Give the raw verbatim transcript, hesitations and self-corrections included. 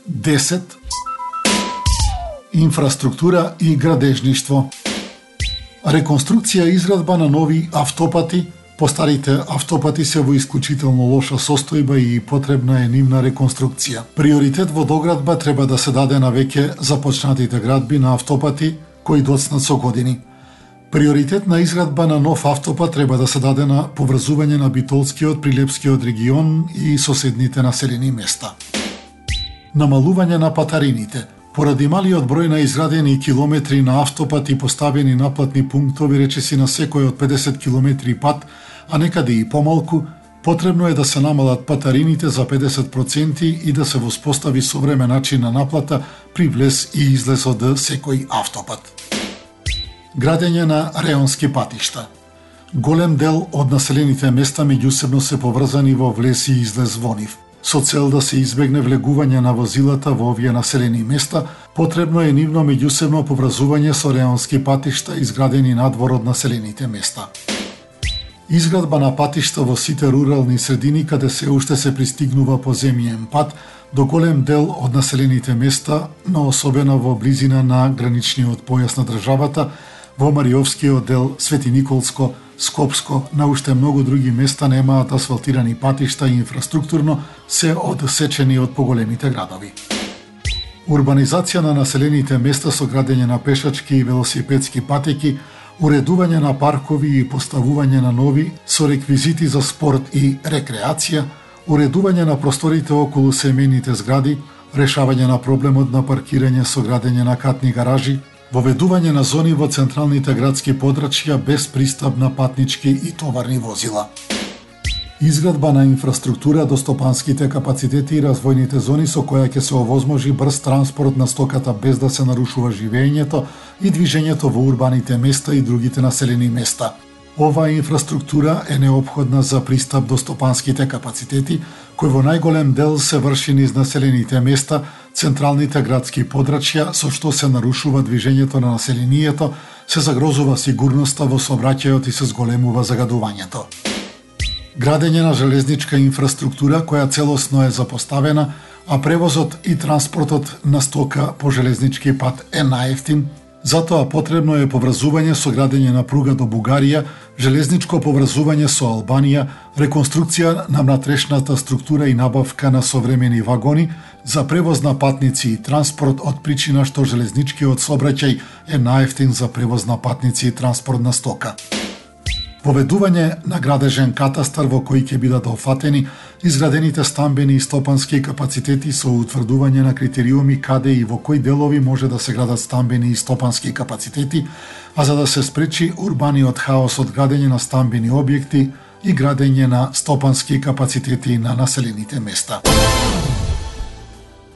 десет. Инфраструктура и градежништво. Реконструкција и изградба на нови автопати. Постарите автопати се во исклучително лоша состојба и потребна е нивна реконструкција. Приоритет во доградба треба да се даде на веќе започнатите градби на автопати кои доцнат со години. Приоритет на изградба на нов автопат треба да се даде на поврзување на Битолскиот, Прилепскиот регион и соседните населени места. Намалување на патарините. Поради малиот број на изградени километри на автопат и поставени наплатни пунктови речиси на секој од педесет километри пат, а некаде и помалку, потребно е да се намалат патарините за педесет проценти и да се воспостави современ начин на наплата при влез и излез од секој автопат. Градење на реонски патишта. Голем дел од населените места меѓусебно се поврзани во влез и излез во нив. Со цел да се избегне влегување на возилата во овие населени места, потребно е нивно меѓусебно поврзување со реонски патишта изградени надвор од населените места. Изградба на патишта во сите рурални средини каде се уште се пристигнува по земјен пат до голем дел од населените места, но особено во близина на граничниот појас на државата, во Мариовскиот дел, Свети Николско, Скопско, на уште многу други места немаат асфалтирани патишта и инфраструктурно се одсечени од поголемите градови. Урбанизација на населените места со градење на пешачки и велосипедски патеки, уредување на паркови и поставување на нови со реквизити за спорт и рекреација, уредување на просторите околу семејните згради, решавање на проблемот на паркирање со градење на катни гаражи, воведување на зони во централните градски подрачја без пристап на патнички и товарни возила. Изградба на инфраструктура до стопанските капацитети и развојните зони со која ќе се овозможи брз транспорт на стоката без да се нарушува живеењето и движењето во урбаните места и другите населени места. Оваа инфраструктура е неопходна за пристап до стопанските капацитети, кои во најголем дел се врши низ населените места, централните градски подрачја, со што се нарушува движењето на населението, се загрозува сигурноста во сообраќајот и се зголемува загадувањето. Градење на железничка инфраструктура која целосно е запоставена, а превозот и транспортот на стока по железнички пат е најевтин, затоа потребно е поврзување со градење на пруга до Бугарија, железничко поврзување со Албанија, реконструкција на внатрешната структура и набавка на современи вагони за превоз на патници и транспорт од причина што железничкиот сообраќај е најевтин за превоз на патници и транспорт на стока. Поведување на градежен катастар во кој ќе бидат офатени изградените стамбени и стопански капацитети со утврдување на критериуми каде и во кои делови може да се градат стамбени и стопански капацитети, а за да се спречи урбаниот хаос од градење на стамбени објекти и градење на стопански капацитети на населените места.